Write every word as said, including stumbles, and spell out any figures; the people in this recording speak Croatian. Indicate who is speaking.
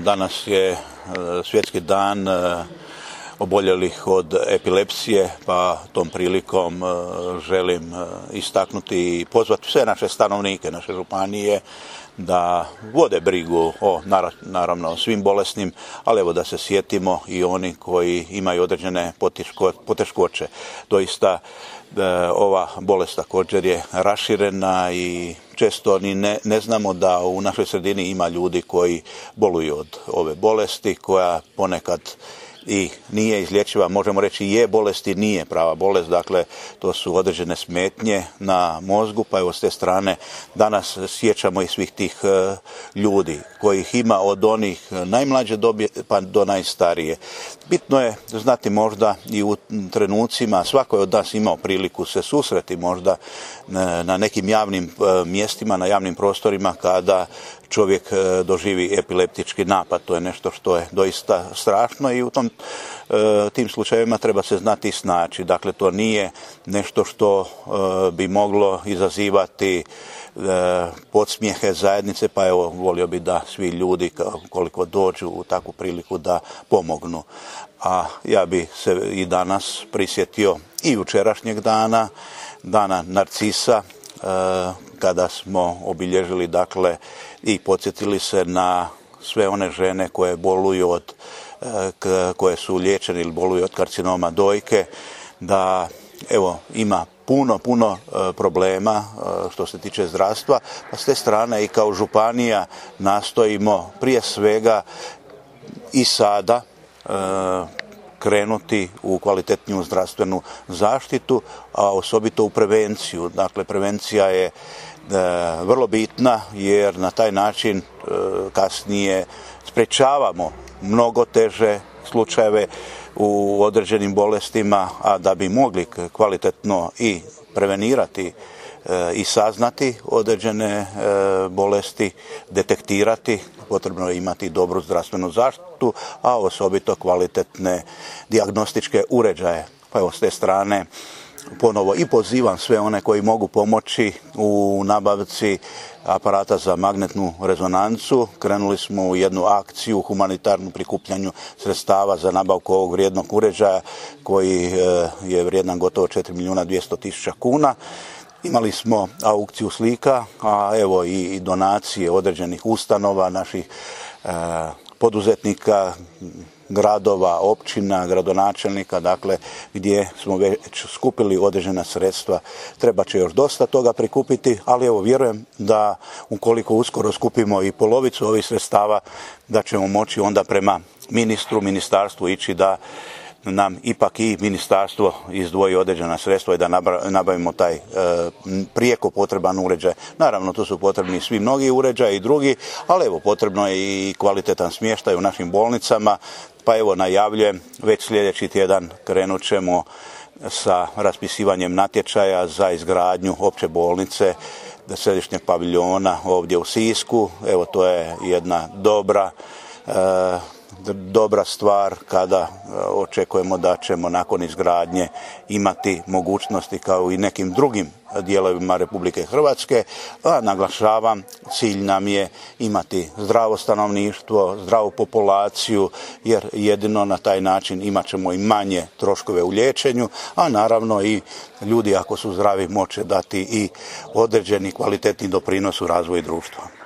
Speaker 1: Danas je svjetski dan oboljelih od epilepsije, pa tom prilikom želim istaknuti i pozvati sve naše stanovnike, naše županije da vode brigu o, naravno, o svim bolesnim, ali evo da se sjetimo i oni koji imaju određene poteškoće. Doista ova bolest također je raširena i često ni ne, ne znamo da u našoj sredini ima ljudi koji boluju od ove bolesti, koja ponekad i nije izlječiva, možemo reći je bolest i nije prava bolest, dakle to su određene smetnje na mozgu, pa evo s te strane danas sjećamo i svih tih uh, ljudi kojih ima od onih najmlađe dobi pa do najstarije. Bitno je znati možda i u trenucima, svako je od nas imao priliku se susreti možda na nekim javnim uh, mjestima, na javnim prostorima kada čovjek uh, doživi epileptički napad. To je nešto što je doista strašno i u tom tim slučajevima treba se znati snaći. Dakle, to nije nešto što bi moglo izazivati podsmijehe zajednice, pa evo, volio bi da svi ljudi koliko dođu u takvu priliku da pomognu. A ja bi se i danas prisjetio i jučerašnjeg dana, dana Narcisa, kada smo obilježili, dakle, i podsjetili se na sve one žene koje boluju od koje su liječeni ili boluju od karcinoma dojke, da evo ima puno, puno problema što se tiče zdravstva, pa s te strane i kao županija nastojimo prije svega i sada krenuti u kvalitetniju zdravstvenu zaštitu, a osobito u prevenciju. Dakle, prevencija je vrlo bitna jer na taj način kasnije sprečavamo mnogo teže slučajeve u određenim bolestima, a da bi mogli kvalitetno i prevenirati i saznati određene bolesti, detektirati, potrebno je imati dobru zdravstvenu zaštitu, a osobito kvalitetne dijagnostičke uređaje. Pa evo s te strane ponovo i pozivam sve one koji mogu pomoći u nabavci aparata za magnetnu rezonancu. Krenuli smo u jednu akciju u humanitarnu prikupljanju sredstava za nabavku ovog vrijednog uređaja koji je vrijedan gotovo četiri milijuna dvjesto tisuća kuna. Imali smo aukciju slika, a evo i donacije određenih ustanova, naših eh, poduzetnika, gradova, općina, gradonačelnika, dakle gdje smo već skupili određena sredstva. Treba će još dosta toga prikupiti, ali evo vjerujem da ukoliko uskoro skupimo i polovicu ovih sredstava, da ćemo moći onda prema ministru, ministarstvu ići da nam ipak i ministarstvo izdvoji određena sredstva i da nabavimo taj e, prijeko potreban uređaj. Naravno, tu su potrebni svi mnogi uređaji i drugi, ali evo potrebno je i kvalitetan smještaj u našim bolnicama, pa evo najavljujem, već sljedeći tjedan krenut ćemo sa raspisivanjem natječaja za izgradnju opće bolnice središnjeg paviljona ovdje u Sisku. Evo to je jedna dobra e, dobra stvar kada očekujemo da ćemo nakon izgradnje imati mogućnosti kao i nekim drugim dijelovima Republike Hrvatske, a naglašavam, cilj nam je imati zdravo stanovništvo, zdravu populaciju, jer jedino na taj način imat ćemo i manje troškove u liječenju, a naravno i ljudi ako su zdravi moće dati i određeni kvalitetni doprinos u razvoju društva.